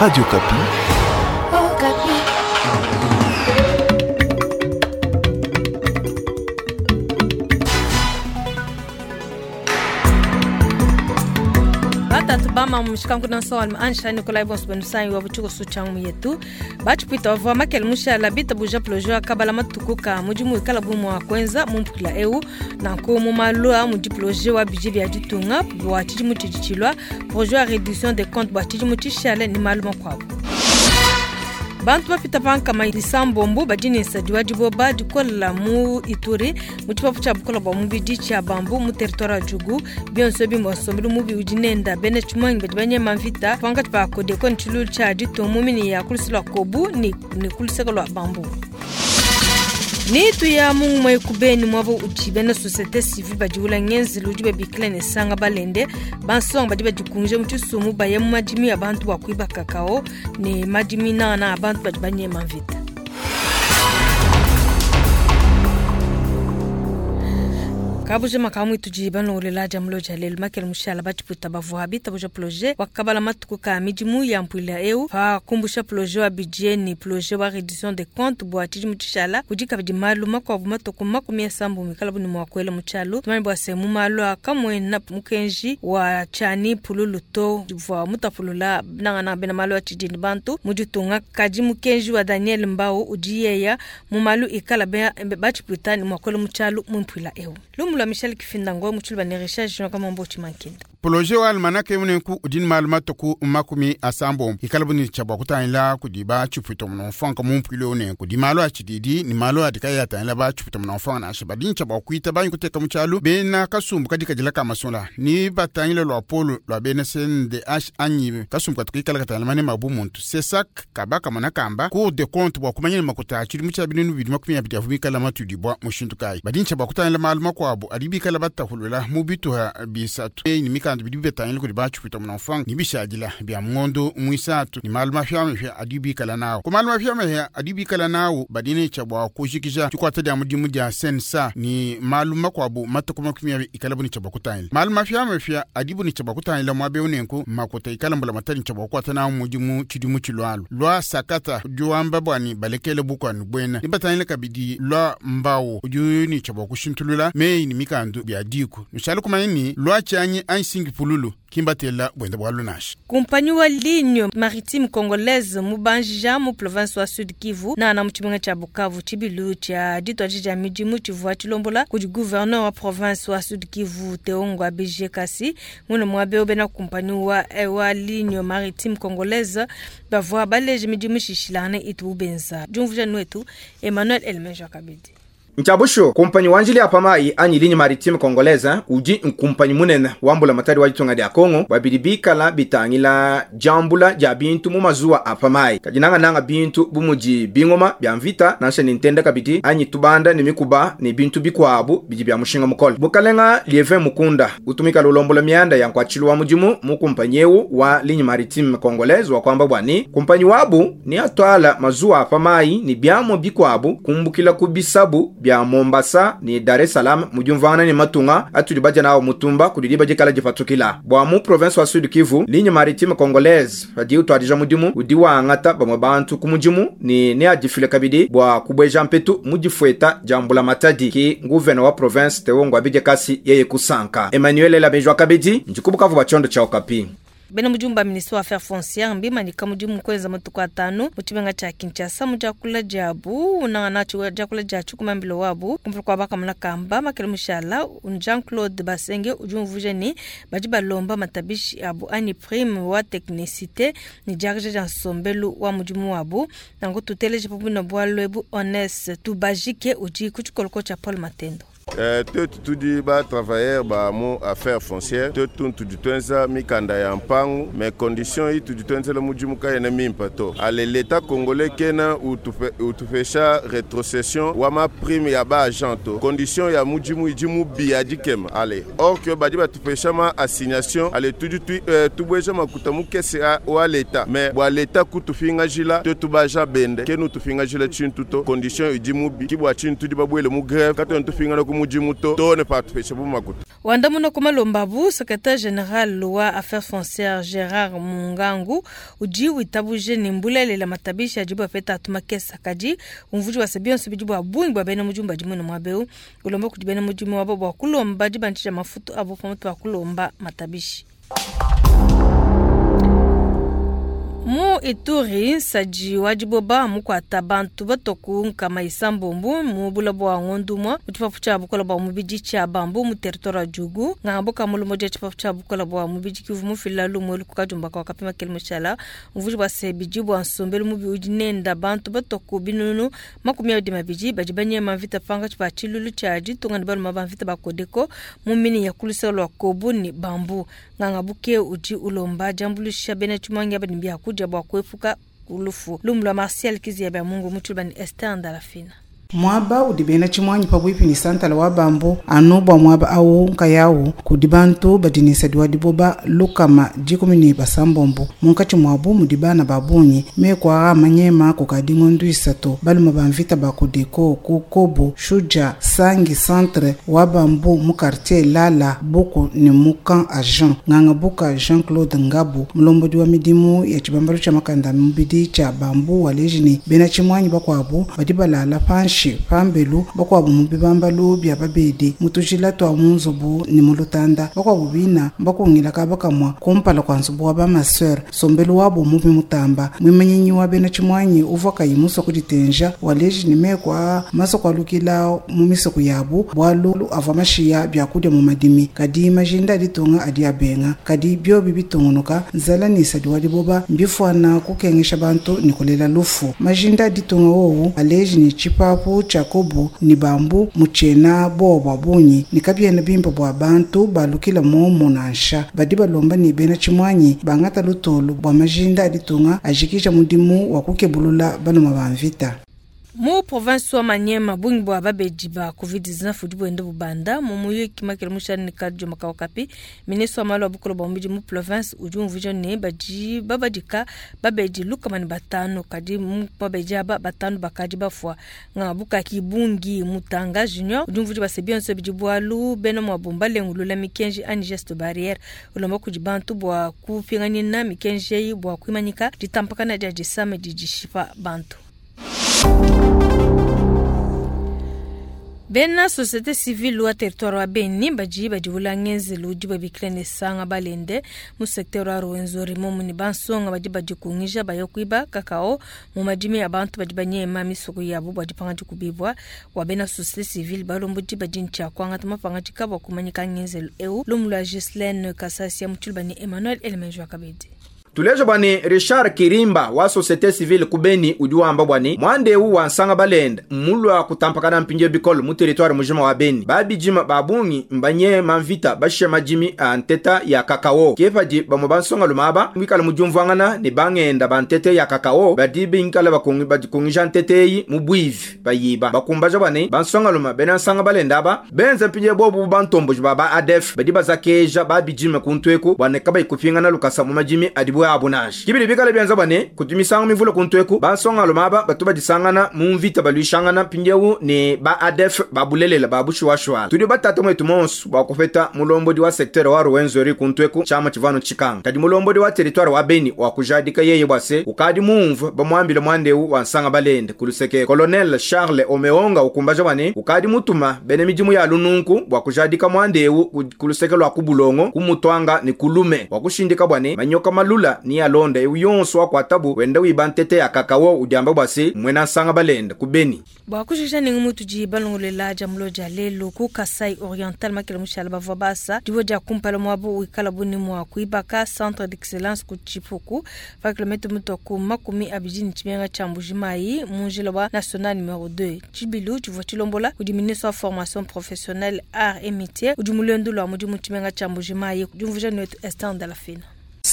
Radio Okapi. Okapi. Batatu bama mushikangu na nsonga alima ansha Nikolai bonso benusanyi wa buchiko suchangu yetu bachipwita bavua makele mushala bitabuja plojo akabala matuku ka mudimu ikala bu mua kwenza mumpukila eu nanku mu malu a mudi ploje wa bidji bia ditunga bua tshidimu tshidi tshilua projet wa réduction des comptes bua tshidimu tshishale ni malu makuabu. Bantu bapita pankama isambombo badi ne nsadi wa diboba dikola mu Ituri mu tshipapu tshia bukola bua mubidi tshia bambu mu territoire ya Djugu. Bionso bimba nsombelu mubi udi nenda bena tshimanyi badi banyema mvita pankatshi pa Kodeko ne tshilulu tshia ditunga mu mini ya kulusi lua Kobu ni kuluseka lua bambu. Ni tuya mungu mwe kubeni mwabo uti bena société civile badi ula ngenzelu udi babikila ne sanga balende bansonga badi badikunje mu tshisumu baye mu madimi ya bantu bua kuiba kakao ne madimi nana a bantu badi banyema mvita. Kabuje makamu itudi banongolela dia mulo dia lelu makele mushala batshiputa bavua bitabuja projet wakabala matuku ka midimu ya mpuila eu pa kumbusha projet wa budget ni projet wa réduction des comptes bua tshidimu tshishala kudi kabidi malu makuabu matuku makumi asambu mikala bu ne mua kuela mu tshialu. Tumanye bua se mu malu a kamuena mukenji wa tshiani pululu to uvua mutapulula nangana bena malu a tshidini bantu mu ditunga. Kadi mukenji wa Daniel Mbau udi yeya mu malu ikala batshiputa ne mua kuela mu tshialu mu mpuila eu. Lumu lwa Michel Kifinda ngo mutshulu ba ne Richard Jean kama mbo chimankinda. Projet wa almanaka emunenku udi ne malu matuku makumi asambombo ikala bu ne tshia bua kutangila kudi ba tshipuita muno mfanka mu mpuilu eu kudi malu a tshididi ne malu adi kayi atangila ba tshipuita muno mfanka nansha badi ne tshia bua kuita banyi kuteka mu tshialu bena kasumbu kadi kadila ka masola ni batangile lua polo lua bena CNDH anyi kasumbu katu kikala katangila mane mabu muntu CSAC kaba kamona kamba Cour des comptes bua kumanya ne makuta a tshidimu tshia binunu bidi makumi abidi avua bikala matudibua mushindu kayi badi ne tshia bua kutangila malu makuabu adi bikala batahulula mu bituha bisatu ni mikanda bidi bitangila kudi batshipuita muno mfanka ni bishadila bia ngondo mwisatu ni malu mafiamafia adi bikala nawo ku malu mafiamafia adi bikala nawo badi ne tshia bua kujikija tshikwata dia mudimu dia sensa ni malu makuabu matuku makumi abidi ikala bu ne tshia bua kutangila malu mafiamafia adi bu ne tshia bua kutangila muaba eu nenku makuta ikala mbula matadi tshia bua kukwata nawo mudimu tshidimu tshilualu lwa sakata udi wamba bwani balekele bukwanu buena ni batangile kabidi lwa mbau udi ne tshia bua kushintulula meyi ni mikandu bia diku nushala kumanya ni lwa tshianyi anyi pululu kimbatela bwenda bwa lunasha. Kumpanyi wa ligne maritime congolaise mubanjija mu province wa Sud Kivu na na muchimenga cha Bukavu tshibilu tsha ditwaji dia midimu tshivua tshilombola kudi gouverneur wa province wa Sud Kivu Teongwa BG Kasi mune muabe obena kumpanyi wa ligne maritime congolaise bavua baleje midimu shishilane itu benza. Jumvuja nwetu Emmanuel Elmeja Kabidi. Nchabusho kumpanyi wanjili apa mai anyi ligne maritime congolaise udi nkumpanyi munene wambula matari wa ditunga dia Kongo babidi bikala bitangila jambula dia bintu mu mazuwa apa mai kajinanga nanga bintu bumuji bingoma bya mvita nansha nintenda kabidi anyi tubanda ni mikuba ni bintu bikwabu bidi bya mushinga mukole bukalenga Lievin Mukunda utumika lulombola mianda ya nkwachilu wa mudimu mu kumpanyi eu wa ligne maritime congolaise wa kwamba bwani kumpanyi wabu ni atwala mazuwa apa mai ni byamo bikwabu kumbukila kubisabu bya Mombasa ni Dar es Salaam mujumvana ni matunga atuli baja nawo mutumba kudiliba jikala jipatukila bwa mu province wa Sud Kivu ligne maritime congolaise badi utwadija mudimu udi wangata bamwe bantu ku mudimu ni ne adifile kabidi bwa kubweja mpetu mudifweta jambula matadi ki nguvena wa province Teongwa Bije Kasi yeye kusanka Emmanuel Elabejwa kabidi njikubukavu bachondo cha Okapi. Bena mujumba ministre wa affaires foncières mbimanyika mudimu kwenza matuku atanu mu tshimenga tshia Kinshasa mu diakula diabu unangana diakula dia tshikumambilo wabu kumpala kua bakamuna kamba makele mushala Jean-Claude Basenge udi umvuija ni badi balomba matabishi abu anyi prime wa technicité ni diakaja dia nsombelu wa mudimu wabu nanku tuteleje pabwina bualu ebu Honest Tubajike udi ku tshikoloko tshia Paul Matendo. Twetu tudi ba travailleur ba mu affaire foncière twetu tudi twenza mikanda ya mpangu mais condition yi tudi twenzela mudimu kayena mimpa to ale l'état congolais kena utupesha rétrocession wa ma prime ya ba agent to condition ya mudimu idi mubi ya dikema ale or que badi batupesha ma assignation ale tudi tubweja makuta mukese wa l'état mais bwa l'état kutufinga jila twetu ba agent bende kenu tufinga jila tshintu to condition idi mubi kibwa tshintu tudi babwele mu grève katwe tufinga ku mudimu to too ne patupeshabu makuta. Wandamuna ku malomba abu, secretaire general wa Affaires foncières Gerard Mungangu udi witabuje ne mbulelela matabishi adibu bapeta atu makesa, kadi umvuji wa se bionso bidi bua bungi bua bena mudimu badi muine muaba eu, ulomba kudi bena mudimu wabo bua kulomba dibandisha mafutu abo pamutu pa kulomba matabishi. Mu Ituri, nsaji wa diboba mukuata bantu batoku nkama isambombo mu bula bua ngondo umue mu tshipapu tshia bukola bua mubidi tshia Bambu mu territoire wa Djugu. Nganga ka mulomo dia tshipapu tshia bukola bua mubidi kivu mufila lumu elu ku kadiomba ka kapima kele mushala umvuji bua se bidi bua nsombelu mubi udi nenda bantu batoku binunu 22 badi banyema mvita pankatshi pa tshilulu tshia ditunga ne baluma ba mvita ba Codeco mu mini ya ku luseke lua Kobu ne Bambu. Nganga buke udi ulomba diambuluisha bena tshimuangi aba ne biakudia bua kuepuka lufu. Lumu lua Martial Kizia bya Mungu mu tshiluba ne Esther Ndalafina. Muaba udi bena tshimuangi pabuipi ne santala wa Bambu anu bua muaba awu nkayawu kudi bantu badi ne nsadi wa diboba 116, munkatshi muabu mudi bana ba bungi. Meku aa manyema kukadi ngondo 3 baluma ba mvita ba Codeco ku Kobu Shuja Sangi centre wa Bambu mu quartier Lala Buku ne mu camp agent. Nganga buka Jean-Claude Ngabu mulombodi wa midimu ya tshibambalu tshia makanda mubidi tshia Bambu waleji ne bena tshimuangi bakuabu badi balala panshi pambelu, bakuabu mu bibambalu bia babedi mu tujila twa mu nzubu ne mu lutanda, bakuabu bina bakungila kaba kamua kumpala kua nzubu wa bamaseur. Sombelu wabo mubi mutamba. Mwimenyinyi wa bena tshimuanyi uvua kayi musua kuditenja waleji ne meku aa masua kualukila mu misoko yabu bualu avua mashiya biakudia mu madimi, kadi majinda a ditunga adi abenga. Kadi biobi bitungunuka nzala ne nsadi wa diboba mbifuana kukengesha bantu ne kulela lufu. Majinda a ditunga wowu aleji ne tshipapu tshia Kobu ne Bambu mutshiena bowa bua bungi ne kabiena bimpe bua bantu balukila momo nansha. Badi balomba ne bena tshimuanyi bangata lutulu bua majinda a ditunga ajikija mudimu wa kukebulula baluma ba mvita. Mu province wa Maniema bungi bua babedi ba COVID-19 udi buenda bubanda mu muyuki makele mushani ne kadioma ka Okapi. Ministre wa malu a bukole bua mubidi mu province udi umvuija ne badi babadika babedi 105, kadi mu babedi aba 5 bakadi bafua. Nganga bukaki bungi Mutanga Junior udi umvuija base bionso bidi bualu bena muabu mbalengulula mikenji anyi geste barrière, ulomba kudi bantu bua kupinganyina mikenji eyi bua kuimanyika ditampakana dia disama didi dishipa bantu. Bena société civile wa territoire wa Beni badi badiwula ngenzelu udi babikila ne sanga balende mu secteur wa Rwenzori momu ne bansonga badi badikungija baya kuiba kakao mu madimi a bantu badi banyema misoko yabu bua dipanga dikubibua. Wa bena société civile balombodi badi ntshia kuangata mapangadika bua kumanyika ngenzelu eu. Lumu lua Ghislaine Kasasia mu tshiluba ne Emmanuel Elemenjo Kabedi. Tuleja bwani Richard Kirimba wa société civile ku Beni udi wamba bwani mwande wa nsanga balenda mulwa kutampakana mpinje bikolo mu territoire mujima wa Beni babijima babungi mbanye mamvita bashe majimi a nteta ya kakao kepadi bamwe bansonga lumaba mwikala mujumvangana ne bangenda bantete ya kakao badi binkala bakungi badikungija ntete yi mu bwivi bayiba bakumbaja bwani bansonga luma bena nsanga balenda ba benze mpinje bobu bantomboji baba ADF badi bazakeja babijima kuntweku bwane kabayi kupingana lukasa mu majimi adibu abonage kibili bikala byanza bane kutumisanga mivulo kuntweku bansonga lumaba batu badisangana mu mvita balwishangana mpinjewu ne ba ADF babulelela babushuwashwa tudi batata mwetu monsu bakupeta mulombodi wa secteur wa Rwenzori kuntweku chama chivano chikanga kadi mulombodi wa territoire wa Beni wa kujadika yeye bwase ukadi mumvu bamwambile mwandewu wa nsanga balende kuluseke Colonel Charles Omeonga ukumbaja bane ukadi mutuma bene midimu ya lununku bwa kujadika mwandewu kuluseke lwa kubulongo kumutwanga ni kulume wa kushindika bwane manyoka malula ni alonda yonso wa kwatabu wenda wibantete ya kakao udiamba bwase mwena nsanga balenda ku Beni. Bwa kushusha ningi mutu ji balongolela jamulo ja lelo ku Kasai Oriental makela mushala bavua basa dibo dia kumpala mwabo wikala buni mwa kuibaka centre d'excellence ku Chipuku pa kilomètre mutu ku 20 ni tshimenga tsha Mbujimayi mu njila wa national numéro 2 Tshibilu tshivua tshilombola kudi ministre wa formation professionnelle art et métier udi mulendo lwa mudimu tshimenga tsha Mbujimayi diumvuija netu Esther Ndalafina.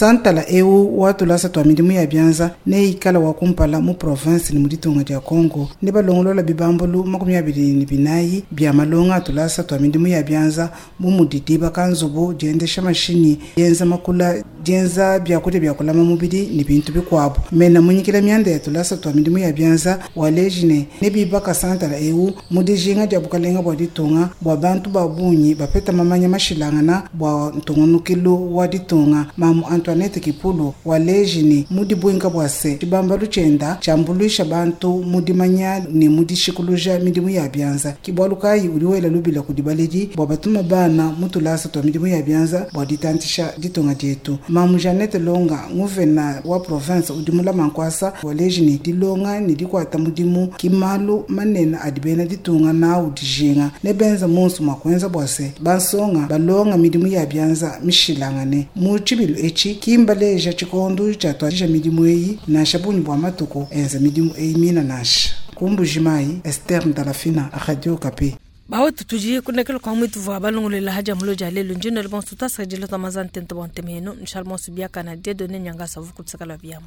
Santala eu wa tulasa tua midimu ya bianza neikala wa kumpala mu province ne mu ditunga dia Congo. Ne balongolola bibambulu 24 bia malonga a tulasa tua midimu ya bianza bu mudi dibaka nzubu, diendesha mashinyi, dienza makula, dienza biakudia bia kulama mubidi ne bintu bikuabu. Mena munyikila mianda ya tulasa tua midimu ya bianza waleji ne nebibaka santala eu mu dijinga dia bukalenga bua ditunga bua bantu ba bungi bapeta mamanya mashilangana bua ntungunukilu wa ditunga. Mamu Antoinette Kipulu waleji ne mu dibuinka bua se tshibambalu tshienda tshiambuluisha bantu mu dimanya ne mu dishikuluja midimu ya bianza. Ke bualu kayi udi wela lubila kudi baledi bua batuma bana mu tulasa tua midimu ya bianza bua ditantisha ditunga dietu. Mamu Jeannette Longa, nguvena wa province udi mulama nkuasa, waleji ne dilonga ne dikuata mudimu ki malu manene adi bena ditunga nawu dijinga ne benza monso mua kuenza bua se bansonga balonga midimu ya bianza mishilangane. Mu tshibilu etshi kimbaleja tshikondo tshiatuadija midimu eyi nansha bungi bua matuku enza midimu eyi mina nansha. Ku Mbujimayi, Esther Ndalafina, Radio Okapi. Bawetu tudi kunekela kwa mwitu vua balongolela haja mulo dia lelu njino le bonso tasakadila twa mazantente bua ntema yenu nshal monso biakana Dieudonné Nyangasa vukutsakala biamu.